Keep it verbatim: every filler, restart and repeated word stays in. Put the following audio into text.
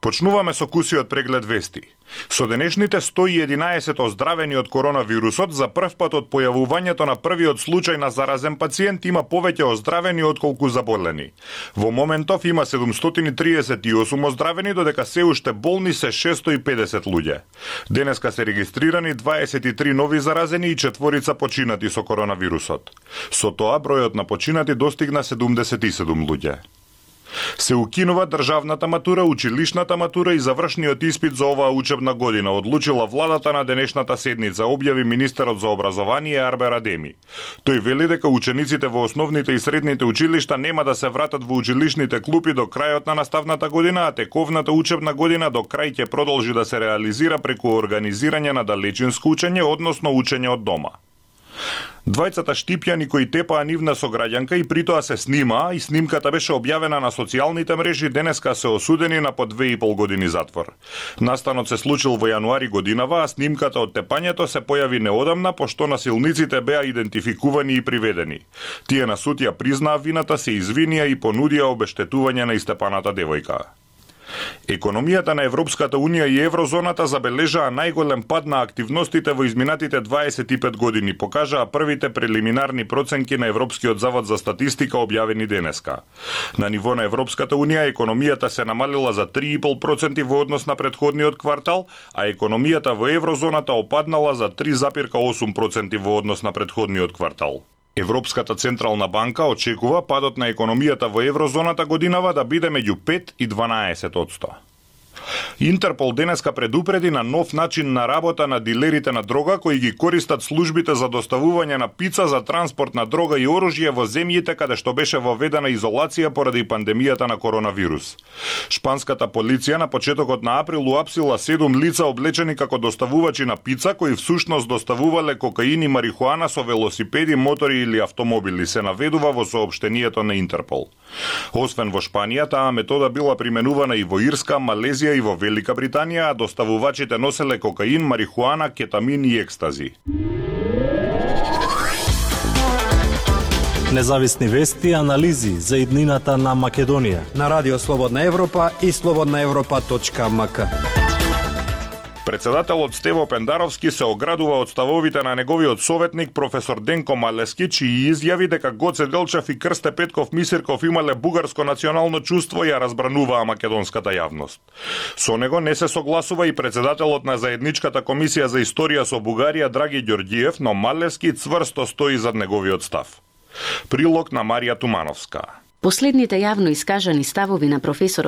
Почнуваме со кусиот преглед вести. Со денешните сто и единаесет оздравени од коронавирусот, за прв пат од појавувањето на првиот случај на заразен пациент има повеќе оздравени отколку заболени. Во моментов има седумстотини триесет и осум оздравени, додека се уште болни се шестстотини и педесет луѓе. Денеска се регистрирани дваесет и три нови заразени и четворица починати со коронавирусот. Со тоа бројот на починати достигна седумдесет и седум луѓе. Се укинува државната матура, училишната матура и завршниот испит за оваа учебна година, одлучила владата на денешната седница, објави министерот за образование Арбер Адеми. Тој вели дека учениците во основните и средните училишта нема да се вратат во училишните клупи до крајот на наставната година, а тековната учебна година до крај ќе продолжи да се реализира преку организирање на далечинско учење, односно учење од дома. Двајцата штипјани кои тепаа нивна сограѓанка и притоа се снима, и снимката беше објавена на социјалните мрежи, денеска се осудени на по две и пол години затвор. Настанот се случил во јануари годинава, а снимката од тепањето се појави неодамна, пошто насилниците беа идентификувани и приведени. Тие на суд ја признаа вината, се извинија и понудија обештетување на истепаната девојка. Економијата на Европската Унија и Еврозоната забележаа најголем пад на активностите во изминатите дваесет и пет години, покажаа првите прелиминарни проценки на Европскиот завод за статистика објавени денеска. На ниво на Европската Унија економијата се намалила за три и пол проценти во однос на претходниот квартал, а економијата во Еврозоната опаднала за три запирка осум проценти во однос на претходниот квартал. Европската централна банка очекува падот на економијата во Еврозоната годинава да биде меѓу пет и дванаесет одсто. Интерпол денеска предупреди на нов начин на работа на дилерите на дрога кои ги користат службите за доставување на пица за транспорт на дрога и оружје во земјите каде што беше воведена изолација поради пандемијата на коронавирус. Шпанската полиција на почетокот на април уапсила седум лица облечени како доставувачи на пица кои всушност доставувале кокаин и марихуана со велосипеди, мотори или автомобили, се наведува во соопштението на Интерпол. Освен во Шпанија, таа метода била применувана и во Ирска, Малезија и во Велика Британија, а доставувачите носеле кокаин, марихуана, кетамин и екстази. Независни вести и анализи за иднината на Македонија на Радио Слободна Европа и слободна европа точка ем ка. Председателот Стево Пендаровски се оградува од ставовите на неговиот советник професор Денко Малески, чии изјави дека Гоце Делчев и Крсте Петков Мисирков имале бугарско национално чувство ја разбрануваа македонската јавност. Со него не се согласува и председателот на заедничката комисија за историја со Бугарија Драги Ѓорѓиев, но Малески цврсто стои зад неговиот став. Прилог на Марија Тумановска. Последните јавно искажани ставови на професорот